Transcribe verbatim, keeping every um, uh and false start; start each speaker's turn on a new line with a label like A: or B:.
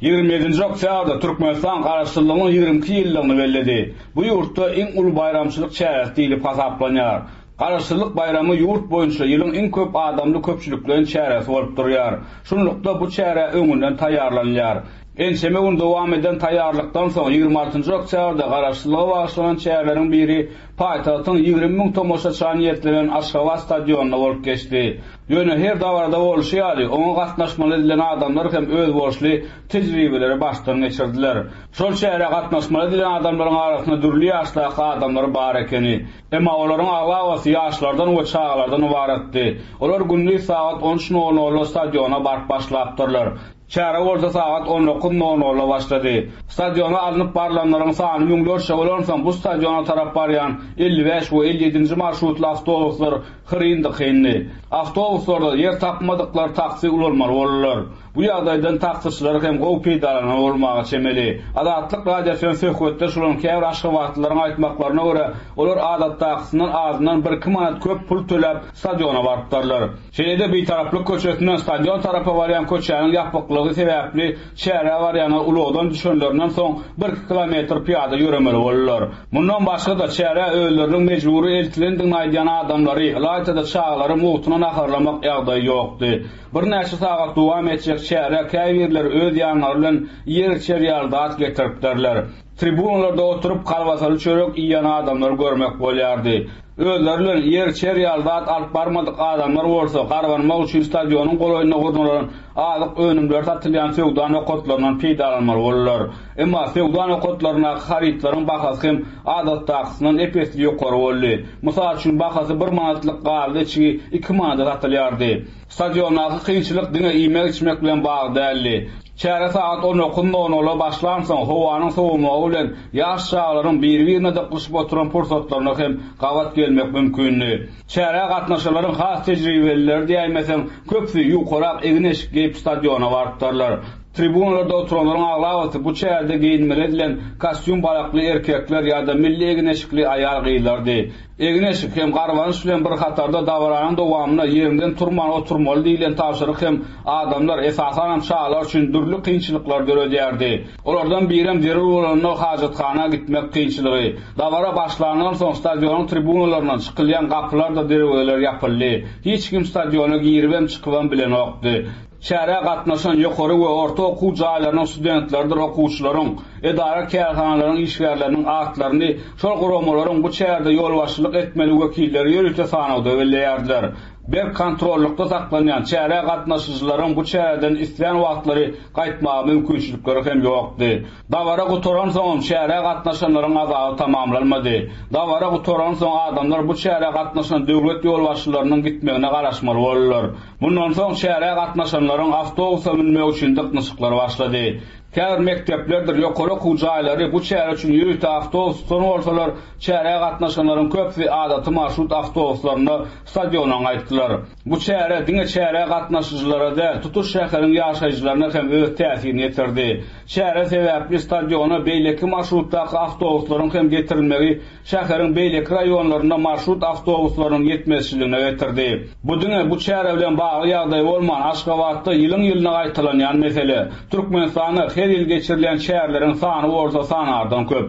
A: Ýigrimi ýedinji oktýabrda Türkmenistan Garaşsyzlygynyň ýigrimi iki ýyllygyny belledi. Bu ýurtda iň uly baýramçylyk çäresi diýlip hasaplanýar. Garaşsyzlyk baýramy ýurt boýunça ýylyň iň köp adamly köpçülikleýin çäresi bolup durýar. Şunlukda bu çärä öňünden taýýarlanylýar. Ençeme gün dowam eden taýýarlykdan soň ýigrimi altynjy oktýabrda Garaşsyzlyga bagyşlanan çäreleriň biri paýtagtyň ýigrimi müň tomaşaça niýetlenen Aşgabat stadionynda bolup geçdi. Ýöne her dabarada bolşy ýaly, oňa gatnaşmaly edilen adamlar hem özboluşly tejribeleri başdan geçirdiler. Şol çärä gatnaşmaly edilen adamlaryň arasynda dürli ýaşdaky adamlar bar ekeni. Emma olaryň aglabasy ýaşlardan we çagalardan ybaratdy. Olar gündiz sagat on üç nol nolda stadiona baryp başlapdyrlar. Çäre bolsa sagat on dokuz nol nolda başlady. Stadiona alnyp barlanlaryň sany müňlerçe bolansoň bu stadiona tarap barýan elli bäş we elli ýedinji marşrutly awtobuslar hyryn-dykyndy. Awtobuslarda ýer tapmadyklar taksi ulanmaly boldular. Bu ýagdaýdan taksiçiler hem gowy peýdalanan bolmaga çemeli. Azatlyk Radiosynyň söhbetdeş bolan käbir aşgabatlylaryň aýtmaklaryna görä, olar adatdakysyndan azyndan bir-iki manat köp pul töläp stadiona barypdyrlar. Şeýle-de Bitaraplyk köçesinden stadion tarapa barýan köçäniň ýapyklygy sebäpli çärä barýanlar ulagdan düşenlerinden soň bir-iki kilometr pyýada ýöremeli boldular. Mundan başga-da çärä özleriniň mejbury eltilendigini aýdýan adamlary, ylaýta-da çagalary mugtuna naharlamak ýagdaýy ýokdy. Birnäçe sagat dowam etjek çärä käbirleri öz ýanlary bilen ýer-içer ýaly zat getiripdirler. Tribunalarda oturyp kalbasaly çörek iýen adamlary görmek bolýardy. Özleri bilen ýer-içer ýaly zat alyp barmadyk adamlar bolsa garbanmak üçin stadionyň golaýynda gurnalan azyk önümleri satylýan söwda nokatlaryndan peýdalanmaly boldular. Emma söwda nokatlaryndaky harytlaryň bahasy hem adatdakysyndan ep-esli ýokary boldy. Mysal üçin bahasy bir manatlyk gazly içgi iki manada satylýardy. Stadiondaky kynçylyk diňe iýmek-içmek bilen bagly däldi. Çäre sagat on dokuz nol nola başlansoň howanyň sowamagy bilen ýaş çagalaryň biri-birine dyklyşyp oturan pursatlaryna hem gabat gelmek mümkindi. Çärä gatnaşanlaryň has tejribelileri diýäýmeseň, köpüsi ýukarak egin-eşik geýip stadiona barypdyrlar. Tribunalarda oturanlaryň aglabasy bu çärede geýinmeli edilen kostýum balakly erkekler ýa-da milli egin-eşikli aýal-gyzlardy. Egin-eşik hem garbanyş bilen bir hatarda dabaranyň dowamynda ýerinden turman oturmaly diýlen tabşyryk hem adamlar, esasanam çagalar üçin dürli kynçylyklar döredýärdi. Olardan birem zerur bolanda hajathana gitmek kynçylygy. Dabara başlandan soň stadionyň tribunalaryndan çykylýan gapylar da derwezeler ýapyldy. Hiç kim stadiona giribem çykybam bilenokdy. Çärä gatnaşan ýokary we orta okuw jaýlarynyň studentleridir okuwçylaryň, edara kärhanalaryň işgärleriniň atlaryny şol guramalaryň bu çärede ýolbaşçylyk etmeli wekilleri ýörite sanawda belleýärdiler. Berk kontrollukda saklanýan çärä gatnaşyjylaryň bu çäreden islän wagtlary gaýtmaga mümkinçilikleri hem ýokdy. Dabara gutaran soň çärä gatnaşanlaryň azaby tamamlanmady. Dabara gutaran soň adamlar bu çärä gatnaşan döwlet ýolbaşçylarynyň gitmegine garaşmaly boldular. Bundan soň çärä gatnaşanlaryň awtobusa münmek üçin dyknyşyklar başlady. Käbir mekdeplerdir ýokary okuw jaýlary bu çäre üçin ýörite awtobus tutan bolsalar, çärä gatnaşanlaryň köpüsi adaty marşrut awtobuslarynda stadiona gaýtdylar. Bu çäre diňe çärä gatnaşyjylara däl, tutuş şäheriň ýaşaýjylaryna hem öz täsirini ýetirdi. Çäre sebäpli stadiona beýleki marşrutdaky awtobuslaryň hem getirilmegi şäheriň beýleki raýonlarynda marşrut awtobuslarynyň ýetmezçiligine getirdi. Bu diňe bu çäre bilen bagly ýagdaý bolman, Aşgabatda ýylyň-ýylyna gaýtalanýan mesele. Türkmenistanda her ýyl geçirilýän çäreleriň sany bolsa sanardan köp.